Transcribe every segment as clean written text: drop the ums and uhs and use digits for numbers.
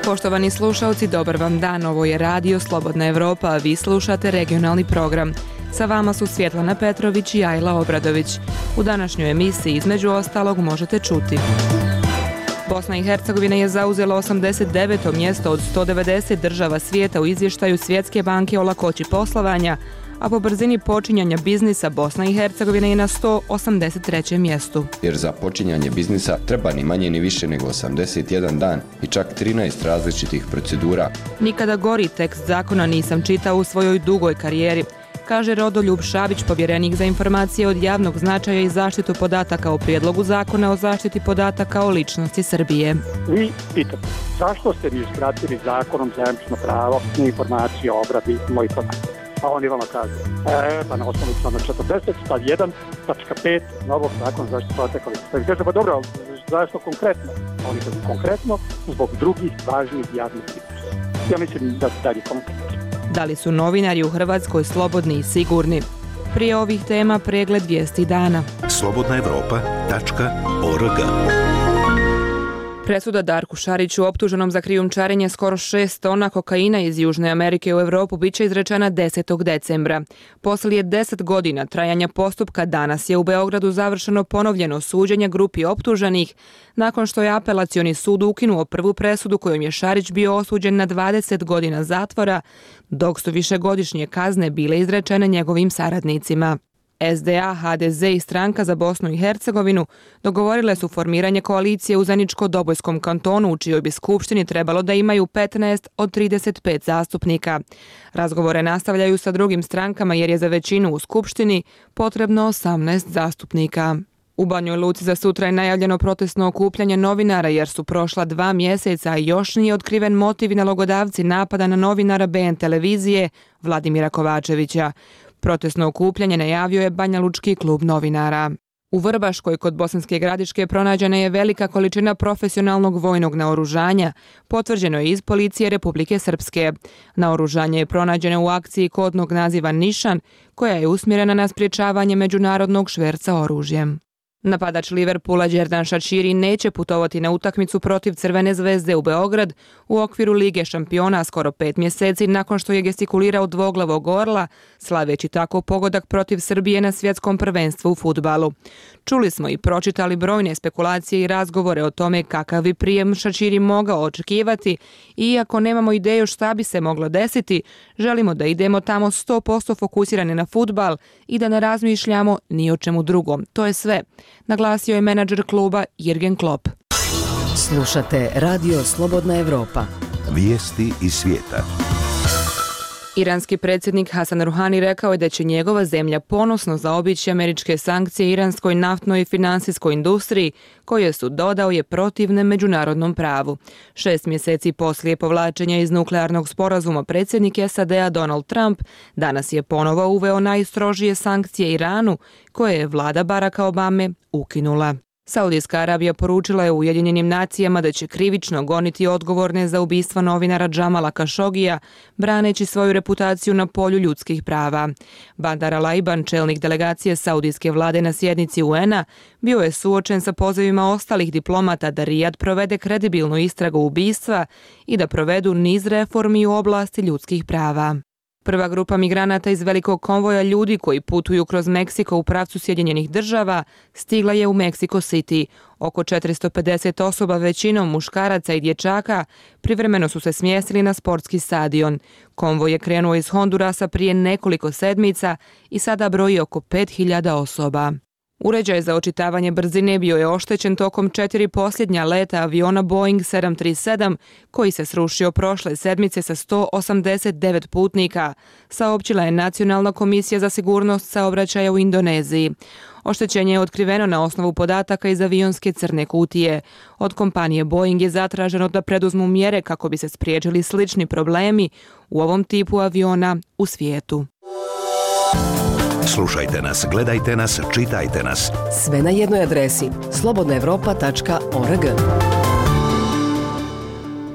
Poštovani slušalci, dobar vam dan. Ovo je Radio Slobodna Evropa, a vi slušate regionalni program. Sa vama su Svjetlana Petrović i Ajla Obradović. U današnjoj emisiji između ostalog možete čuti: Bosna i Hercegovina je zauzela 89. mjesto od 190 država svijeta u izvještaju Svjetske banke o lakoći poslovanja, a po brzini počinjanja biznisa Bosna i Hercegovina je na 183. mjestu. Jer za počinjanje biznisa treba ni manje ni više nego 81 dan i čak 13 različitih procedura. Nikada gori tekst zakona nisam čitao u svojoj dugoj karijeri, kaže Rodoljub Šabić, povjerenik za informacije od javnog značaja i zaštitu podataka o prijedlogu zakona o zaštiti podataka o ličnosti Srbije. Vi pitate, zašto ste mi uskratili zakonom zajamčeno pravo na informacije o obradi mojih podataka? A oni vama kažu, pa na osnovu člana 40, stav 1, tačka 5, novog zakona zaštite podataka. Pa vi kažete, pa dobro, zašto konkretno? Oni kažu konkretno zbog drugih važnih javnih interesa. Ja mislim da dalje konkretno. Da li su novinari u Hrvatskoj slobodni i sigurni? Prije ovih tema pregled vijesti dana. slobodnaevropa.org. Presuda Darku Šariću, optuženom za krijumčarenje skoro 6 tona kokaina iz Južne Amerike u Europu, bit će izrečena 10. decembra. Poslije 10 godina trajanja postupka danas je u Beogradu završeno ponovljeno suđenje grupi optuženih nakon što je apelacioni sud ukinuo prvu presudu kojom je Šarić bio osuđen na 20 godina zatvora, dok su višegodišnje kazne bile izrečene njegovim saradnicima. SDA, HDZ i Stranka za Bosnu i Hercegovinu dogovorile su formiranje koalicije u Zeničko-Dobojskom kantonu, u čijoj bi skupštini trebalo da imaju 15 od 35 zastupnika. Razgovore nastavljaju sa drugim strankama jer je za većinu u skupštini potrebno 18 zastupnika. U Banjoj Luci za sutra je najavljeno protestno okupljanje novinara jer su prošla 2 mjeseca i još nije otkriven motiv i nalogodavci napada na novinara BN televizije Vladimira Kovačevića. Protestno okupljanje najavio je Banjalučki klub novinara. U Vrbaškoj kod Bosanske Gradiške pronađena je velika količina profesionalnog vojnog naoružanja, potvrđeno je iz policije Republike Srpske. Naoružanje je pronađeno u akciji kodnog naziva Nišan, koja je usmjerena na sprječavanje međunarodnog šverca oružjem. Napadač Liverpoola Đerdan Šačiri neće putovati na utakmicu protiv Crvene zvezde u Beograd u okviru Lige šampiona skoro 5 mjeseci nakon što je gestikulirao dvoglavog orla, slaveći tako pogodak protiv Srbije na svjetskom prvenstvu u fudbalu. Čuli smo i pročitali brojne spekulacije i razgovore o tome kakav bi prijem Šačiri mogao očekivati i iako nemamo ideju šta bi se moglo desiti, želimo da idemo tamo 100% fokusirani na fudbal i da ne razmišljamo ni o čemu drugom. To je sve, naglasio je menadžer kluba Jürgen Klopp. Slušate Radio Slobodna Evropa. Vijesti iz svijeta. Iranski predsjednik Hasan Ruhani rekao je da će njegova zemlja ponosno zaobići američke sankcije iranskoj naftnoj i finansijskoj industriji, koje su, dodao je, protivne međunarodnom pravu. 6 mjeseci poslije povlačenja iz nuklearnog sporazuma predsjednik SAD-a Donald Trump danas je ponovo uveo najstrožije sankcije Iranu, koje je vlada Baracka Obame ukinula. Saudijska Arabija poručila je Ujedinjenim nacijama da će krivično goniti odgovorne za ubistvo novinara Džamala Kašogija, braneći svoju reputaciju na polju ljudskih prava. Bandar Al-Aiban, čelnik delegacije saudijske vlade na sjednici UN-a, bio je suočen sa pozivima ostalih diplomata da Rijad provede kredibilnu istragu ubistva i da provedu niz reformi u oblasti ljudskih prava. Prva grupa migranata iz velikog konvoja ljudi koji putuju kroz Meksiko u pravcu Sjedinjenih država stigla je u Mexico City. Oko 450 osoba, većinom muškaraca i dječaka, privremeno su se smjestili na sportski stadion. Konvoj je krenuo iz Hondurasa prije nekoliko sedmica i sada broji oko 5000 osoba. Uređaj za očitavanje brzine bio je oštećen tokom 4 posljednja leta aviona Boeing 737 koji se srušio prošle sedmice sa 189 putnika, saopćila je Nacionalna komisija za sigurnost saobraćaja u Indoneziji. Oštećenje je otkriveno na osnovu podataka iz avionske crne kutije. Od kompanije Boeing je zatraženo da preduzmu mjere kako bi se spriječili slični problemi u ovom tipu aviona u svijetu. Slušajte nas, gledajte nas, čitajte nas. Sve na jednoj adresi slobodnaevropa.org.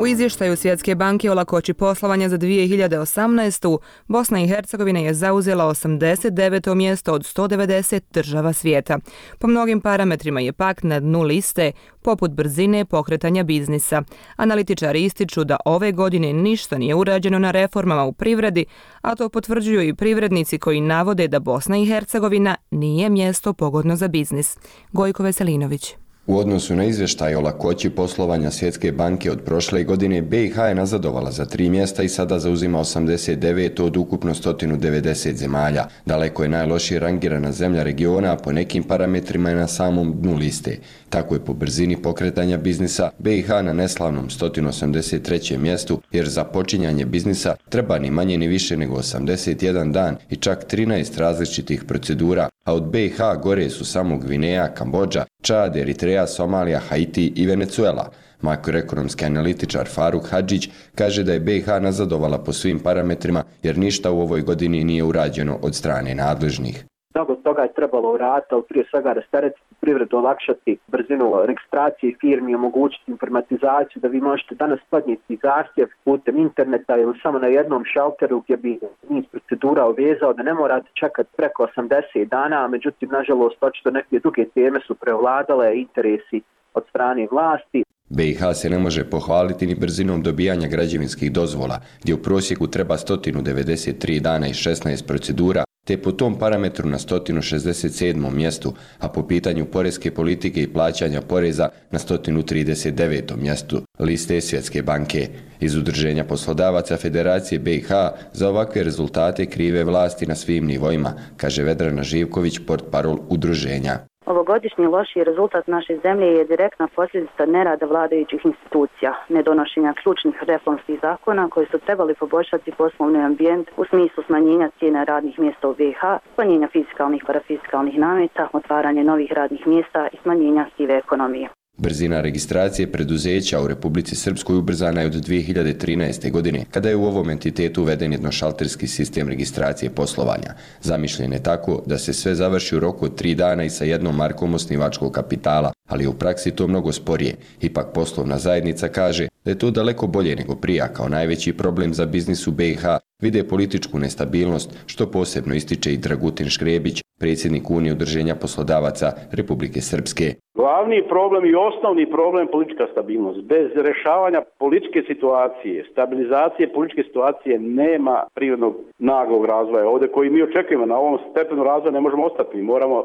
U izvještaju Svjetske banke o lakoći poslovanja za 2018. Bosna i Hercegovina je zauzela 89. mjesto od 190 država svijeta. Po mnogim parametrima je pak na dnu liste, poput brzine pokretanja biznisa. Analitičari ističu da ove godine ništa nije urađeno na reformama u privredi, a to potvrđuju i privrednici koji navode da Bosna i Hercegovina nije mjesto pogodno za biznis. Gojko Veselinović. U odnosu na izvještaj o lakoći poslovanja Svjetske banke od prošle godine, BiH je nazadovala za 3 mjesta i sada zauzima 89 od ukupno 190 zemalja. Daleko je najlošije rangirana zemlja regiona, a po nekim parametrima je na samom dnu liste. Tako je po brzini pokretanja biznisa BiH na neslavnom 183. mjestu, jer za počinjanje biznisa treba ni manje ni više nego 81 dan i čak 13 različitih procedura, a od BiH gore su samo Gvineja, Kambodža, Čad, Eritreja, Somalija, Haiti i Venezuela. Makroekonomski analitičar Faruk Hadžić kaže da je BiH nazadovala po svim parametrima jer ništa u ovoj godini nije urađeno od strane nadležnih. Mnogo toga je trebalo uraditi, ali prije svega rasteretiti privredu, olakšati brzinu registracije firmi, omogućiti informatizaciju, da vi možete danas podnijeti zahtjev putem interneta ili samo na jednom šalteru gdje bi niz procedura uvezao, da ne morate čekati preko 80 dana, međutim, nažalost, očito neke druge teme su prevladale, interesi od strane vlasti. BiH se ne može pohvaliti ni brzinom dobijanja građevinskih dozvola, gdje u prosjeku treba 193 dana i 16 procedura, te po tom parametru na 167. mjestu, a po pitanju porezke politike i plaćanja poreza na 139. mjestu liste Svjetske banke. Iz Udruženja poslodavaca Federacije BiH za ovakve rezultate krive vlasti na svim nivoima, kaže Vedrana Živković, portparol udruženja. Ovogodišnji lošiji rezultat naše zemlje je direktna posljedica nerada vladajućih institucija, nedonošenja ključnih reformskih zakona koji su trebali poboljšati poslovni ambijent u smislu smanjenja cijena radnih mjesta u BiH, smanjenja fiskalnih i parafiskalnih nameta, otvaranje novih radnih mjesta i smanjenja sive ekonomije. Brzina registracije preduzeća u Republici Srpskoj ubrzana je od 2013. godine, kada je u ovom entitetu uveden jednošalterski sistem registracije poslovanja. Zamišljen je tako da se sve završi u roku od 3 dana i sa jednom markom osnivačkog kapitala, ali u praksi to mnogo sporije. Ipak poslovna zajednica kaže da je to daleko bolje nego prije, kao najveći problem za biznis u BiH vide političku nestabilnost, što posebno ističe i Dragutin Škrebić, predsjednik Unije udruženja poslodavaca Republike Srpske. Glavni problem i osnovni problem je politička stabilnost. Bez rješavanja političke situacije, stabilizacije političke situacije nema prirodnog naglog razvoja. Ovdje koji mi očekujemo na ovom stepenu razvoja ne možemo ostati. Mi moramo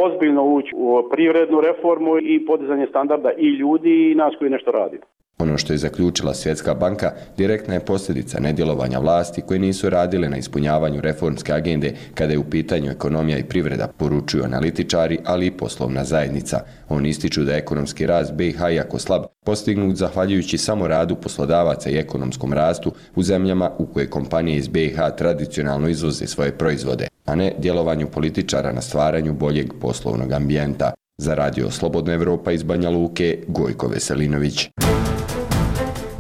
ozbiljno ući u privrednu reformu i podizanje standarda i ljudi i nas koji nešto radimo. Ono što je zaključila Svjetska banka direktna je posljedica nedjelovanja vlasti koje nisu radile na ispunjavanju reformske agende kada je u pitanju ekonomija i privreda, poručuju analitičari, ali i poslovna zajednica. Oni ističu da je ekonomski rast BiH jako slab, postignut zahvaljujući samo radu poslodavaca i ekonomskom rastu u zemljama u koje kompanije iz BiH tradicionalno izvoze svoje proizvode, a ne djelovanju političara na stvaranju boljeg poslovnog ambijenta. Za Radio Slobodna Evropa iz Banja Luke, Gojko Veselinović.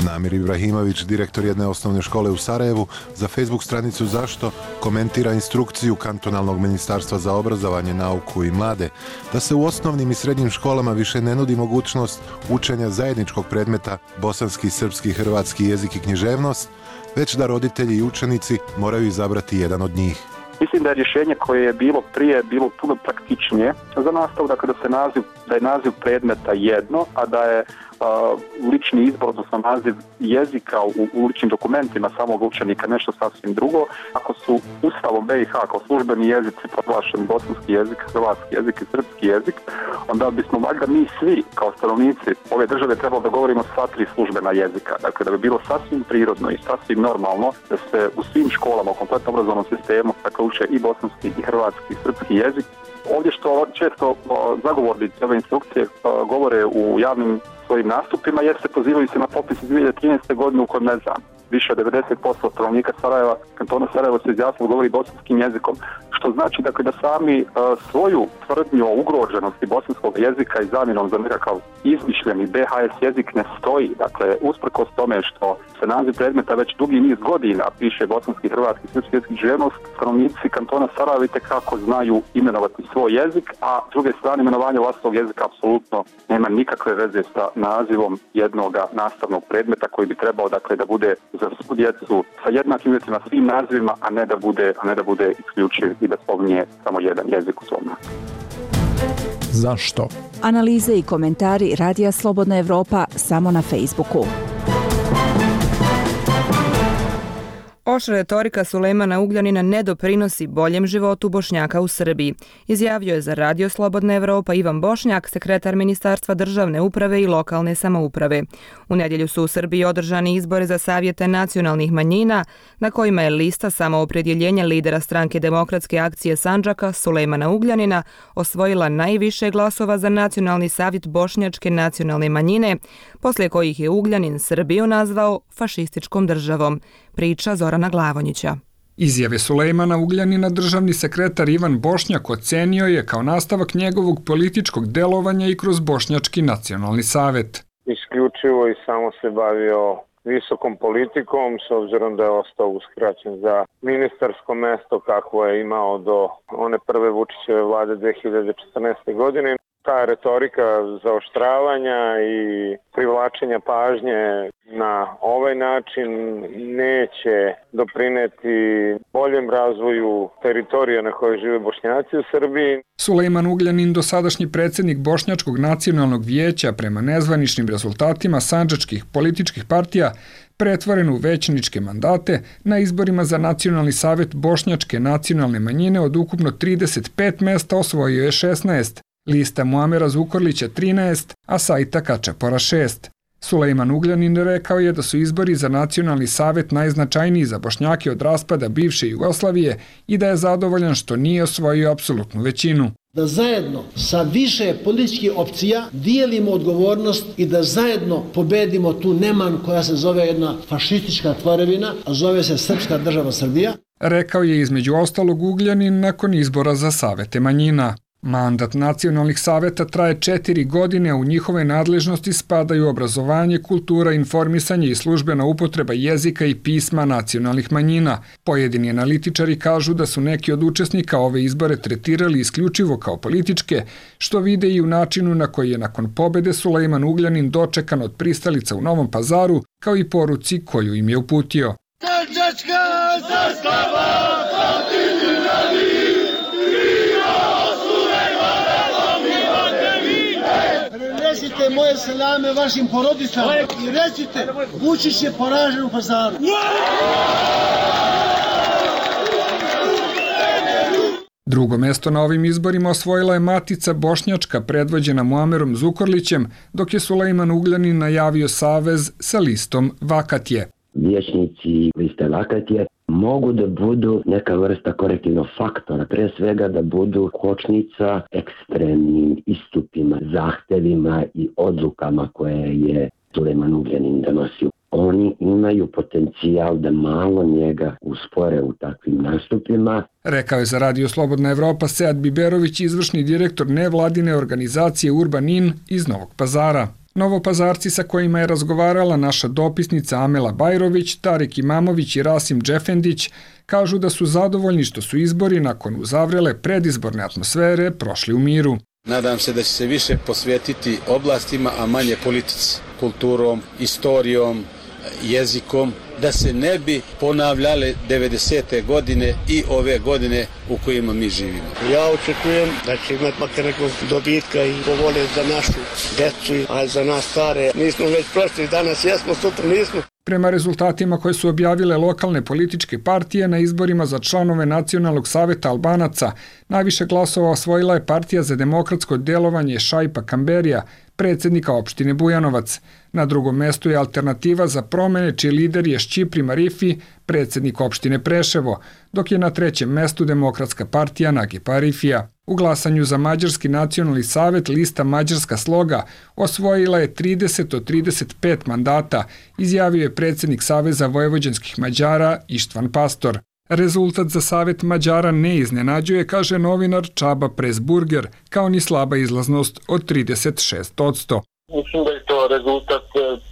Namir Ibrahimović, direktor jedne osnovne škole u Sarajevu, za Facebook stranicu Zašto komentira instrukciju Kantonalnog ministarstva za obrazovanje, nauku i mlade da se u osnovnim i srednjim školama više ne nudi mogućnost učenja zajedničkog predmeta bosanski, srpski, hrvatski jezik i književnost, već da roditelji i učenici moraju izabrati jedan od njih. Mislim da je rješenje koje je bilo prije bilo puno praktičnije za nastavu, dakle da je naziv predmeta jedno, a da je lični izbor, odnosno naziv jezika u ličnim dokumentima samog učenika nešto sasvim drugo. Ako su Ustavom BiH kao službeni jezici proglašeni bosanski jezik, hrvatski jezik i srpski jezik, onda bismo valjda mi svi kao stanovnici ove države trebalo da govorimo sva 3 službena jezika. Dakle, da bi bilo sasvim prirodno i sasvim normalno da se u svim školama, u kompletnom obrazovnom sistemu, dakle, uče i bosanski i hrvatski i srpski jezik. Ovdje što često zagovornici ove instrukcije govore u javnim svojim nastupima, jer se pozivaju se na popis iz 2013. godine u kojem, ne znam, više od 90% stanovnika Sarajeva, kantona Sarajevo se izjasnilo govori bosanskim jezikom, što znači dakle da sami svoju tvrdnju o ugroženosti bosanskog jezika i zamjenom za nekakav izmišljeni BHS jezik ne stoji. Dakle, usprkos tome što se naziv predmeta već dugi niz godina piše bosanski, hrvatski, srpski jezik književnost, stanovnici kantona Sarajeva itekako znaju imenovati svoj jezik, a s druge strane imenovanje vlastitog jezika apsolutno nema nikakve veze sa nazivom jednog nastavnog predmeta koji bi trebao dakle da bude za svu djecu sa jednakim uvjetima svim nazivima, a ne da bude isključiv i da spominje samo jedan jezik u svom nazivu. Zašto? Analize i komentari Radija Slobodna Evropa samo na Facebooku. Oštra retorika Sulejmana Ugljanina ne doprinosi boljem životu Bošnjaka u Srbiji, izjavio je za Radio Slobodna Evropa Ivan Bošnjak, sekretar Ministarstva državne uprave i lokalne samouprave. U nedjelju su u Srbiji održani izbori za savjete nacionalnih manjina, na kojima je lista samoopredjeljenja lidera stranke Demokratske akcije Sandžaka Sulejmana Ugljanina osvojila najviše glasova za Nacionalni savjet Bošnjačke nacionalne manjine, poslije kojih je Ugljanin Srbiju nazvao fašističkom državom. Priča Zorana Glavonjića. Izjave Sulejmana Ugljanina državni sekretar Ivan Bošnjak ocenio je kao nastavak njegovog političkog delovanja i kroz Bošnjački nacionalni savjet. Isključivo i samo se bavio visokom politikom, s obzirom da je ostao uskraćen za ministarsko mesto kakvo je imao do one prve Vučićeve vlade 2014. godine. Ta retorika zaoštravanja i privlačenja pažnje na ovaj način neće doprineti boljem razvoju teritorija na kojoj žive Bošnjaci u Srbiji. Sulejman Ugljanin, dosadašnji predsjednik Bošnjačkog nacionalnog vijeća, prema nezvaničnim rezultatima sandžačkih političkih partija, pretvoren u većničke mandate, na izborima za Nacionalni savjet Bošnjačke nacionalne manjine od ukupno 35 mjesta osvojio je 16. Lista Muamera Zukorlića 13, a Sajta Kačapora 6. Sulejman Ugljanin rekao je da su izbori za Nacionalni savjet najznačajniji za Bošnjake od raspada bivše Jugoslavije i da je zadovoljan što nije osvojio apsolutnu većinu. Da zajedno sa više političkih opcija dijelimo odgovornost i da zajedno pobedimo tu neman koja se zove jedna fašistička tvorevina, a zove se Srpska država Srbija. Rekao je između ostalog Ugljanin nakon izbora za savete manjina. Mandat nacionalnih saveta traje 4 godine, a u njihove nadležnosti spadaju obrazovanje, kultura, informisanje i službena upotreba jezika i pisma nacionalnih manjina. Pojedini analitičari kažu da su neki od učesnika ove izbore tretirali isključivo kao političke, što vide i u načinu na koji je nakon pobede Sulejman Ugljanin dočekan od pristalica u Novom Pazaru, kao i poruci koju im je uputio. Sandžačka zastava, Recite moje selame vašim porodicama i recite, Vučić je poražen u Pazaru. Drugo mjesto na ovim izborima osvojila je Matica Bošnjačka predvođena Muamerom Zukorlićem, dok je Sulejman Ugljanin najavio savez sa listom Vakatje. Vijećnici liste Vakatje mogu da budu neka vrsta korektivnog faktora, pre svega da budu kočnica ekstremnim istupima, zahtevima i odlukama koje je Sulejman Ugljanin donosio. Oni imaju potencijal da malo njega uspore u takvim nastupima. Rekao je za Radio Slobodna Evropa Sead Biberović, izvršni direktor nevladine organizacije Urbanin iz Novog Pazara. Novopazarci sa kojima je razgovarala naša dopisnica Amela Bajrović, Tarik Imamović i Rasim Džefendić kažu da su zadovoljni što su izbori nakon uzavrele predizborne atmosfere prošli u miru. Nadam se da će se više posvetiti oblastima, a manje politici, kulturom, istorijom, jezikom, da se ne bi ponavljale 90. godine i ove godine u kojima mi živimo. Ja očekujem da će imati makar nekog dobitka i povole za našu decu, a za nas stare nismo već prošli, danas jesmo, sutra nismo. Prema rezultatima koje su objavile lokalne političke partije na izborima za članove Nacionalnog savjeta Albanaca, najviše glasova osvojila je Partija za demokratsko djelovanje Šaipa Kamberija, predsjednika opštine Bujanovac. Na drugom mestu je Alternativa za promene, čiji lider je Šćipri Marifi, predsjednik opštine Preševo, dok je na trećem mestu Demokratska partija Nagipa Arifija. U glasanju za Mađarski nacionalni savet lista Mađarska sloga osvojila je 30 od 35 mandata, izjavio je predsjednik Saveza vojvođanskih Mađara Ištvan Pastor. Rezultat za Savet Mađara ne iznenađuje, kaže novinar Čaba Presburger, kao ni slaba izlaznost od 36%. Mislim da je to rezultat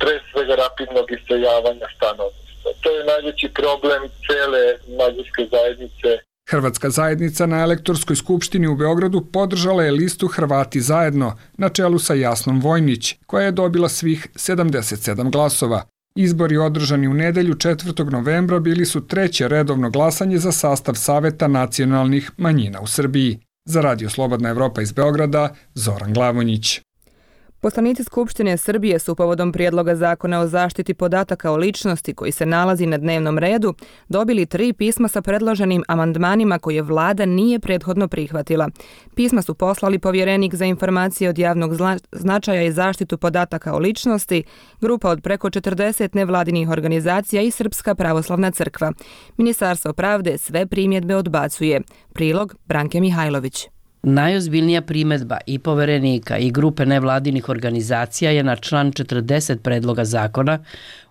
pre svega rapidnog iseljavanja stanovništva. To je najveći problem cele mađarske zajednice. Hrvatska zajednica na elektorskoj skupštini u Beogradu podržala je listu Hrvati zajedno, na čelu sa Jasnom Vojnić, koja je dobila svih 77 glasova. Izbori održani u nedelju 4. novembra bili su treće redovno glasanje za sastav Saveta nacionalnih manjina u Srbiji. Za Radio Slobodna Evropa iz Beograda, Zoran Glavonjić. Poslanici Skupštine Srbije su povodom prijedloga zakona o zaštiti podataka o ličnosti koji se nalazi na dnevnom redu dobili 3 pisma sa predloženim amandmanima koje vlada nije prethodno prihvatila. Pisma su poslali povjerenik za informacije od javnog značaja i zaštitu podataka o ličnosti, grupa od preko 40 nevladinih organizacija i Srpska pravoslavna crkva. Ministarstvo pravde sve primjedbe odbacuje. Prilog Branke Mihajlović. Najozbiljnija primjedba i poverenika i grupe nevladinih organizacija je na član 40 predloga zakona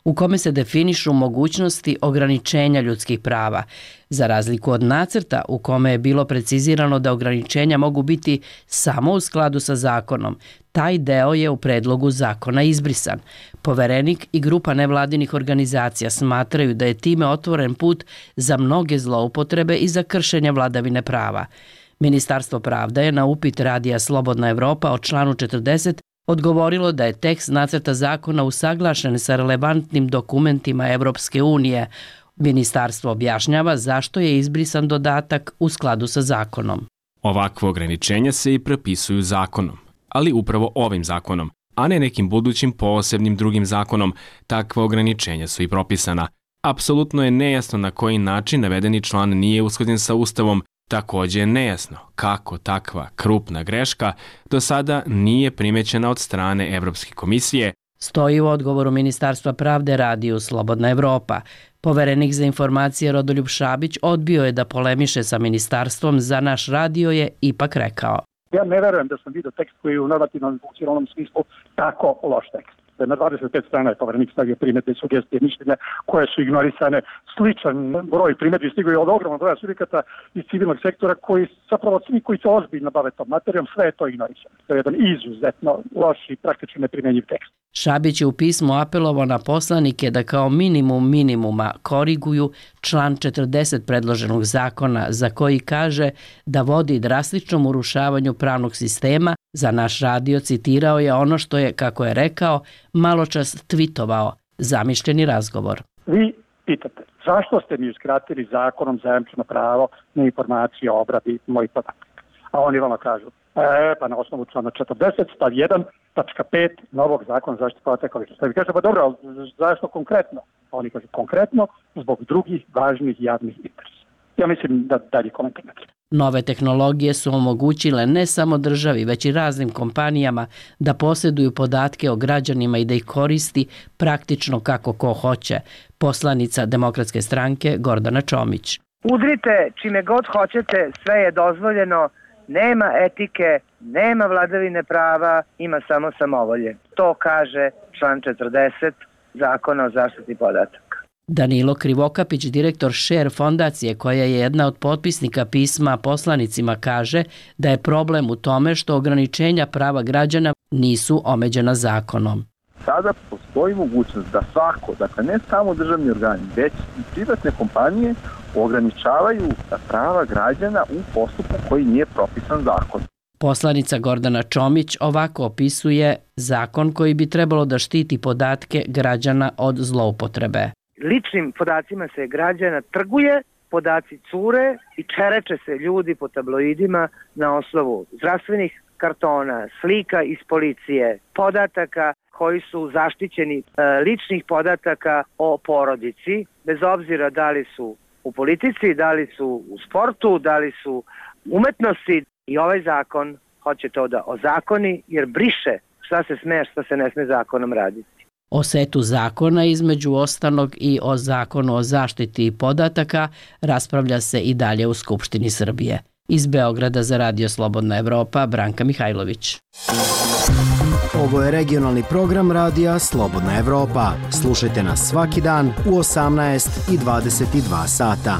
u kome se definišu mogućnosti ograničenja ljudskih prava, za razliku od nacrta u kome je bilo precizirano da ograničenja mogu biti samo u skladu sa zakonom. Taj deo je u predlogu zakona izbrisan. Poverenik i grupa nevladinih organizacija smatraju da je time otvoren put za mnoge zloupotrebe i za kršenje vladavine prava. Ministarstvo pravde je na upit Radija Slobodna Evropa o članu 40 odgovorilo da je tekst nacrta zakona usaglašen sa relevantnim dokumentima Evropske unije. Ministarstvo objašnjava zašto je izbrisan dodatak u skladu sa zakonom. Ovakve ograničenja se i propisuju zakonom, ali upravo ovim zakonom, a ne nekim budućim posebnim drugim zakonom. Takva ograničenja su i propisana. Apsolutno je nejasno na koji način navedeni član nije usklađen sa Ustavom. Također je nejasno kako takva krupna greška do sada nije primećena od strane Evropske komisije. Stoji u odgovoru Ministarstva pravde Radiju Slobodna Evropa. Poverenik za informacije Rodoljub Šabić odbio je da polemiše sa ministarstvom, za naš radio je ipak rekao. Ja ne verujem da sam vidio tekst koji je u normativnom funkcionalnom smislu tako loš tekst. Na 25 strana je poverenik stavio primjedbe, sugestije, mišljenja koje su ignorisane. Sličan broj primjedbi stigao je od ogromnog broja subjekata iz civilnog sektora koji zapravo svi koji se ozbiljno bave tom materijom, sve je to ignorisano. To je jedan izuzetno loš i praktično neprimjenjiv tekst. Šabić je u pismu apelovao na poslanike da kao minimum minimuma koriguju član 40 predloženog zakona za koji kaže da vodi drastičnom urušavanju pravnog sistema. Za naš radio citirao je ono što je, kako je rekao, maločas tvitovao, zamišljeni razgovor. Vi pitate, zašto ste mi uskratili zakonom zajamčeno pravo na informacije o obradi mojih podataka? A oni vama kažu, pa na osnovu člana 40 stav 1 tačka 5 novog zakona zaštite podataka o ličnosti. Vi kažete, pa dobro, zašto konkretno? A oni kažu, konkretno zbog drugih važnih javnih interesa. Ja mislim da dalje komentar ne treba. Nove tehnologije su omogućile ne samo državi, već i raznim kompanijama da posjeduju podatke o građanima i da ih koristi praktično kako ko hoće. Poslanica Demokratske stranke Gordana Čomić. Udrite čime god hoćete, sve je dozvoljeno, nema etike, nema vladavine prava, ima samo samovolje. To kaže član 40 Zakona o zaštiti podataka. Danilo Krivokapić, direktor Share fondacije, koja je jedna od potpisnika pisma poslanicima, kaže da je problem u tome što ograničenja prava građana nisu omeđena zakonom. Sada postoji mogućnost da svako, dakle ne samo državni organi, već i privatne kompanije ograničavaju prava građana u postupku koji nije propisan zakonom. Poslanica Gordana Čomić ovako opisuje zakon koji bi trebalo da štiti podatke građana od zloupotrebe. Ličnim podacima se građana trguje, podaci cure i čereče se ljudi po tabloidima na osnovu zdravstvenih kartona, slika iz policije, podataka koji su zaštićeni, ličnih podataka o porodici, bez obzira da li su u politici, da li su u sportu, da li su umetnosti. I ovaj zakon hoće to da ozakoni jer briše šta se sme, šta se ne sme zakonom raditi. O setu zakona između ostalog i o zakonu o zaštiti podataka raspravlja se i dalje u Skupštini Srbije. Iz Beograda za Radio Slobodna Evropa, Branka Mihajlović. Ovo je regionalni program Radija Slobodna Evropa. Slušajte nas svaki dan u 18 i 22 sata.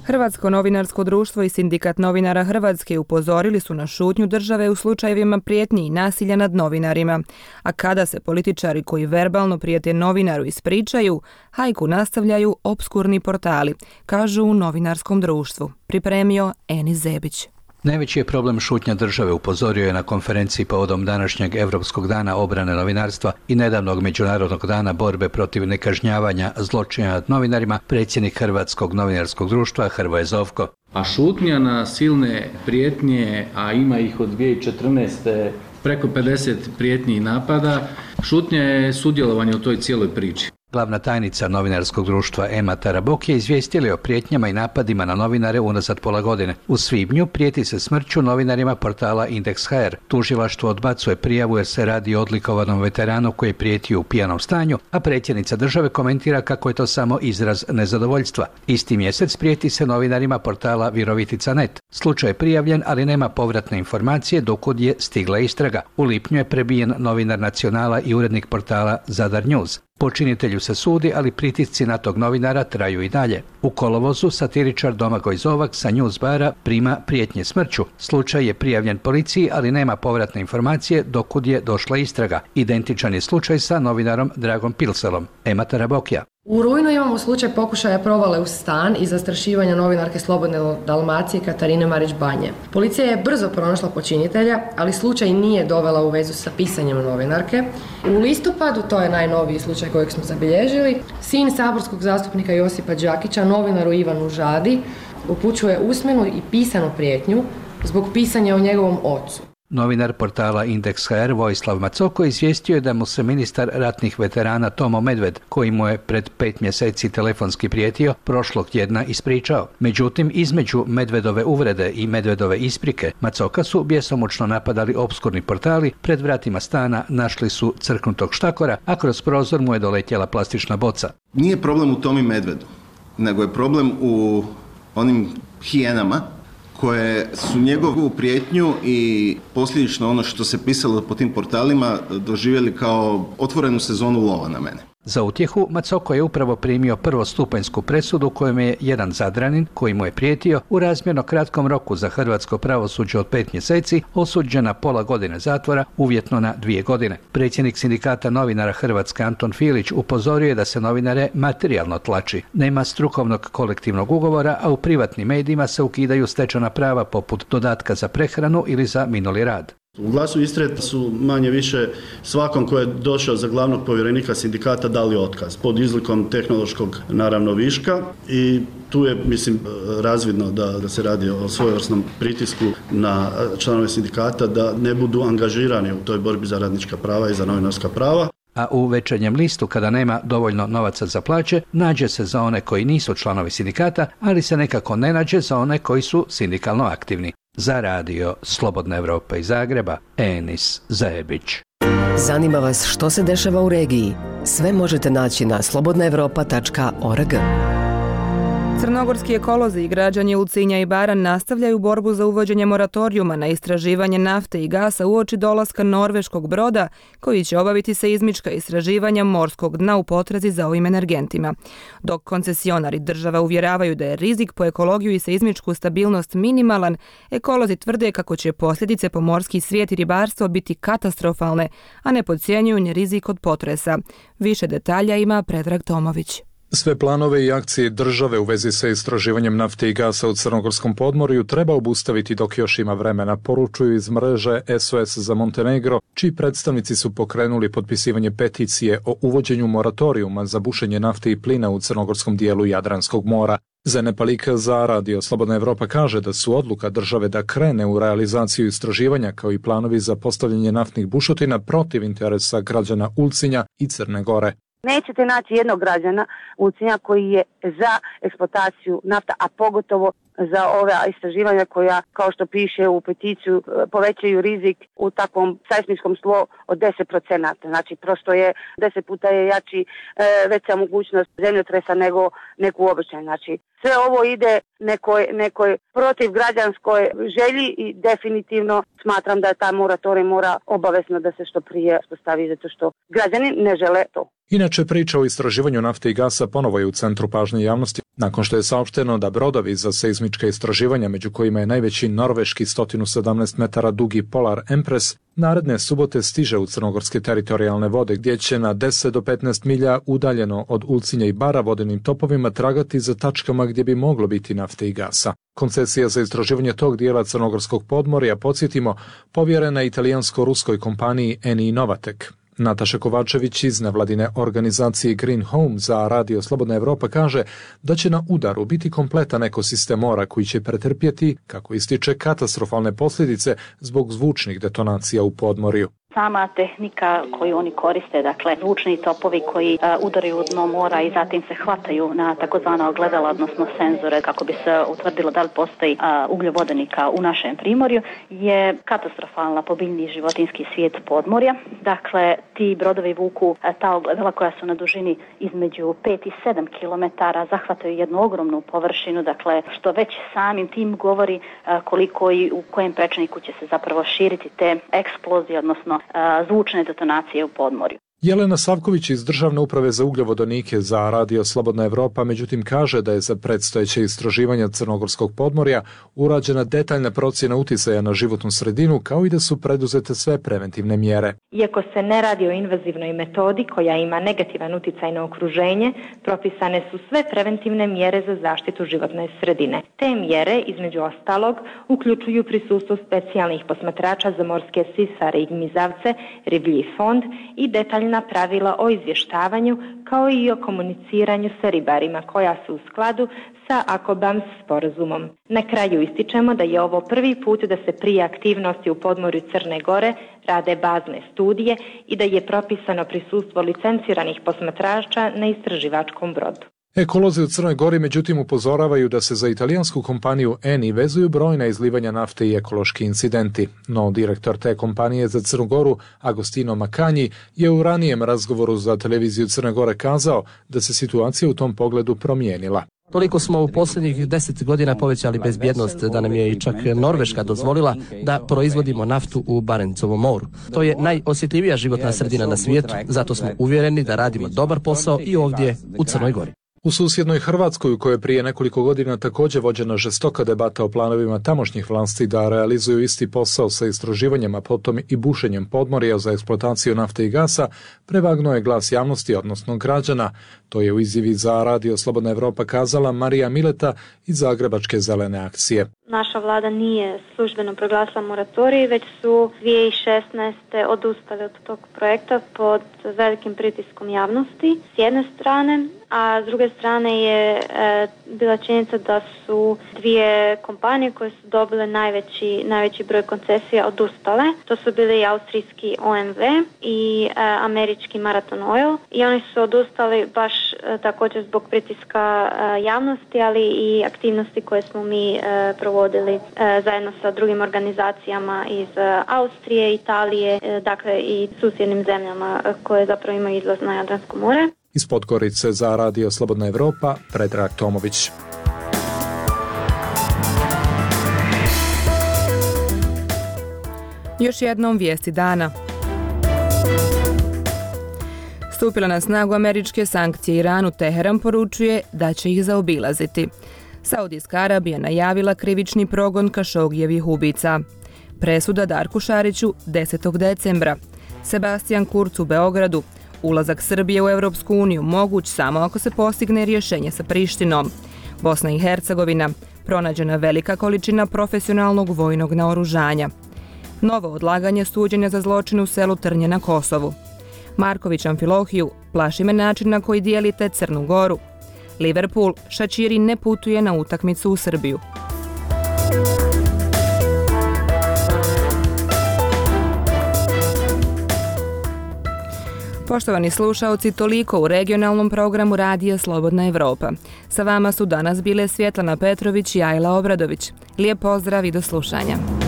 Hrvatsko novinarsko društvo i Sindikat novinara Hrvatske upozorili su na šutnju države u slučajevima prijetnji i nasilja nad novinarima. A kada se političari koji verbalno prijete novinaru ispričaju, hajku nastavljaju opskurni portali, kažu u novinarskom društvu. Pripremio Enis Zebić. Najveći je problem šutnja države, upozorio je na konferenciji povodom današnjeg Evropskog dana obrane novinarstva i nedavnog Međunarodnog dana borbe protiv nekažnjavanja zločina nad novinarima predsjednik Hrvatskog novinarskog društva Hrvoje Zovko. A šutnja na silne prijetnje, a ima ih od 2014. preko 50 prijetnji i napada, šutnja je sudjelovanje u toj cijeloj priči. Glavna tajnica novinarskog društva Ema Tarabok je izvijestila o prijetnjama i napadima na novinare unazad pola godine. U svibnju prijeti se smrću novinarima portala Indeks.hr. Tužilaštvo odbacuje prijavu jer se radi o odlikovanom veteranu koji je prijetio u pijanom stanju, a predsjednica države komentira kako je to samo izraz nezadovoljstva. Isti mjesec prijeti se novinarima portala Virovitica.net. Slučaj je prijavljen, ali nema povratne informacije dokud je stigla istraga. U lipnju je prebijen novinar Nacionala i urednik portala Zadar News. Počinitelju se sudi, ali pritisci na tog novinara traju i dalje. U kolovozu satiričar Domagoj Zovak sa News bara prima prijetnje smrću. Slučaj je prijavljen policiji, ali nema povratne informacije dokud je došla istraga. Identičan je slučaj sa novinarom Dragom Pilselom. Ema Tarabokija. U rujnu imamo slučaj pokušaja provale u stan i zastrašivanja novinarke Slobodne Dalmacije Katarine Marić-Banje. Policija je brzo pronašla počinitelja, ali slučaj nije dovela u vezu sa pisanjem novinarke. U listopadu, to je najnoviji slučaj kojeg smo zabilježili, sin saborskog zastupnika Josipa Đakića, novinaru Ivanu Žadi, upućuje usmenu i pisanu prijetnju zbog pisanja o njegovom ocu. Novinar portala Indeks.hr Vojislav Macoko izvijestio je da mu se ministar ratnih veterana Tomo Medved, koji mu je pred 5 mjeseci telefonski prijetio, prošlog tjedna ispričao. Međutim, između Medvedove uvrede i Medvedove isprike, Macoka su bjesomučno napadali opskurni portali, pred vratima stana našli su crknutog štakora, a kroz prozor mu je doletjela plastična boca. Nije problem u Tomi Medvedu, nego je problem u onim hijenama koje su njegovu prijetnju i posljedično ono što se pisalo po tim portalima doživjeli kao otvorenu sezonu lova na mene. Za utjehu, Macoko je upravo primio prvostupanjsku presudu kojem je jedan Zadranin, koji mu je prijetio, u razmjerno kratkom roku za hrvatsko pravosuđe od 5 mjeseci, osuđen na pola godine zatvora, uvjetno na 2 godine. Predsjednik Sindikata novinara Hrvatske Anton Filić upozorio je da se novinare materijalno tlači. Nema strukovnog kolektivnog ugovora, a u privatnim medijima se ukidaju stečena prava poput dodatka za prehranu ili za minuli rad. U Glasu Istre su manje više svakom ko je došao za glavnog povjerenika sindikata dali otkaz pod izlikom tehnološkog naravno viška i tu je razvidno da se radi o svojevrsnom pritisku na članove sindikata da ne budu angažirani u toj borbi za radnička prava i za novinarska prava. A u Večernjem listu, kada nema dovoljno novaca za plaće, nađe se za one koji nisu članovi sindikata, ali se nekako ne nađe za one koji su sindikalno aktivni. Za Radio Slobodna Evropa iz Zagreba, Enis Zebić. Zanima vas što se dešava u regiji? Sve možete naći na slobodnaevropa.org. Crnogorski ekolozi i građani Ulcinja i Baran nastavljaju borbu za uvođenje moratorijuma na istraživanje nafte i gasa uoči dolaska norveškog broda koji će obaviti seizmička istraživanja morskog dna u potrazi za ovim energentima. Dok koncesionari država uvjeravaju da je rizik po ekologiju i seizmičku stabilnost minimalan, ekolozi tvrde kako će posljedice po morski svijet i ribarstvo biti katastrofalne, a ne podcjenjuju ni rizik od potresa. Više detalja ima Predrag Tomović. Sve planove i akcije države u vezi sa istraživanjem nafte i gasa u Crnogorskom podmorju treba obustaviti dok još ima vremena, poručuju iz mreže SOS za Montenegro, čiji predstavnici su pokrenuli potpisivanje peticije o uvođenju moratorijuma za bušenje nafte i plina u crnogorskom dijelu Jadranskog mora. Zenepalika za Radio Slobodna Evropa kaže da su odluka države da krene u realizaciju istraživanja kao i planovi za postavljanje naftnih bušotina protiv interesa građana Ulcinja i Crne Gore. Nećete naći jednog građana Ulcinja koji je za eksploataciju nafta, a pogotovo za ove istraživanja koja, kao što piše u peticiju, povećaju rizik u takvom seismičkom tlu od 10%. Znači, prosto je 10 puta je jači veća mogućnost zemljotresa nego uobičajeno. Znači, sve ovo ide nekoj protiv građanskoj želji i definitivno smatram da ta moratorij mora obavezno da se što prije postavi, zato što građani ne žele to. Inače, priča o istraživanju nafte i gasa ponovo je u centru pažnje javnosti, nakon što je saopšteno da brodovi za seizmička istraživanja, među kojima je najveći norveški 117 metara dugi Polar Empress, naredne subote stiže u crnogorske teritorijalne vode, gdje će na 10 do 15 milja udaljeno od Ulcinja i Bara vodenim topovima tragati za tačkama gdje bi moglo biti nafte i gasa. Koncesija za istraživanje tog dijela crnogorskog podmorja, podsjetimo, povjerena italijansko-ruskoj kompaniji Eni Novatek. Nataša Kovačević iz nevladine organizacije Green Home za Radio Slobodna Evropa kaže da će na udaru biti kompletan ekosistem mora koji će pretrpjeti, kako ističe, katastrofalne posljedice zbog zvučnih detonacija u podmorju. Sama tehnika koju oni koriste, dakle zvučni topovi koji udaraju u dno mora i zatim se hvataju na takozvana ogledala, odnosno senzore, kako bi se utvrdilo da li postoji ugljovodenika u našem primorju, je katastrofalna po biljni i životinjski svijet podmorja. Dakle, ti brodovi vuku ta ogledala koja su na dužini između 5 i 7 km, zahvataju jednu ogromnu površinu, dakle što već samim tim govori koliko i u kojem prečniku će se zapravo širiti te eksplozije, odnosno zvučne detonacije u podmorju. Jelena Savković iz Državne uprave za ugljovodonike za Radio Slobodna Evropa međutim kaže da je za predstojeće istraživanja crnogorskog podmorja urađena detaljna procjena uticaja na životnu sredinu, kao i da su preduzete sve preventivne mjere. Iako se ne radi o invazivnoj metodi koja ima negativan uticaj na okruženje, propisane su sve preventivne mjere za zaštitu životne sredine. Te mjere, između ostalog, uključuju prisustvo specijalnih posmatrača za morske sisare i gmizavce, riblji fond i detaljna pravila o izvještavanju, kao i o komuniciranju sa ribarima koja su u skladu sa AKOBAMS sporazumom. Na kraju ističemo da je ovo prvi put da se prije aktivnosti u podmorju Crne Gore rade bazne studije i da je propisano prisustvo licenciranih posmatrača na istraživačkom brodu. Ekolozi u Crnoj Gori međutim upozoravaju da se za italijansku kompaniju Eni vezuju brojna izlivanja nafte i ekološki incidenti. No direktor te kompanije za Crnu Goru, Agostino Makanji, je u ranijem razgovoru za televiziju Crne Gore kazao da se situacija u tom pogledu promijenila. Toliko smo u posljednjih 10 godina povećali bezbjednost da nam je i čak Norveška dozvolila da proizvodimo naftu u Barencovom moru. To je najosjetljivija životna sredina na svijetu, zato smo uvjereni da radimo dobar posao i ovdje u Crnoj Gori. U susjednoj Hrvatskoj, u kojoj je prije nekoliko godina također vođena žestoka debata o planovima tamošnjih vlasti da realizuju isti posao sa istraživanjem, a potom i bušenjem podmorja za eksploataciju nafte i gasa, prevagnuo je glas javnosti, odnosno građana. To je u izjavi za Radio Slobodna Evropa kazala Marija Mileta iz Zagrebačke zelene akcije. Naša vlada nije službeno proglasila moratorij, već su 2016. odustali od tog projekta pod velikim pritiskom javnosti s jedne strane, a s druge strane je bila činjenica da su dvije kompanije koje su dobile najveći broj koncesija odustale. To su bili austrijski OMV i američki Marathon Oil i oni su odustali baš također zbog pritiska javnosti, ali i aktivnosti koje smo mi provodili zajedno sa drugim organizacijama iz Austrije, Italije, dakle i susjednim zemljama koje zapravo imaju izlaz na Jadransko more. Iz Podgorice za Radio Slobodna Evropa, Predrag Tomović. Još jednom vijesti dana. Stupila na snagu američke sankcije Iranu, Teheran poručuje da će ih zaobilaziti. Saudijska Arabija najavila krivični progon Kašogijevih ubica. Presuda Darku Šariću 10. decembra. Sebastian Kurz u Beogradu. Ulazak Srbije u Europsku uniju moguć samo ako se postigne rješenje sa Prištinom. Bosna i Hercegovina. Pronađena velika količina profesionalnog vojnog naoružanja. Novo odlaganje suđenja za zločin u selu Trnje na Kosovu. Marković Amfilohiju. Plaši me način na koji dijelite Crnu Goru. Liverpool. Šačiri ne putuje na utakmicu u Srbiju. Poštovani slušaoci, toliko u regionalnom programu Radija Slobodna Evropa. Sa vama su danas bile Svjetlana Petrović i Ajla Obradović. Lijep pozdrav i do slušanja.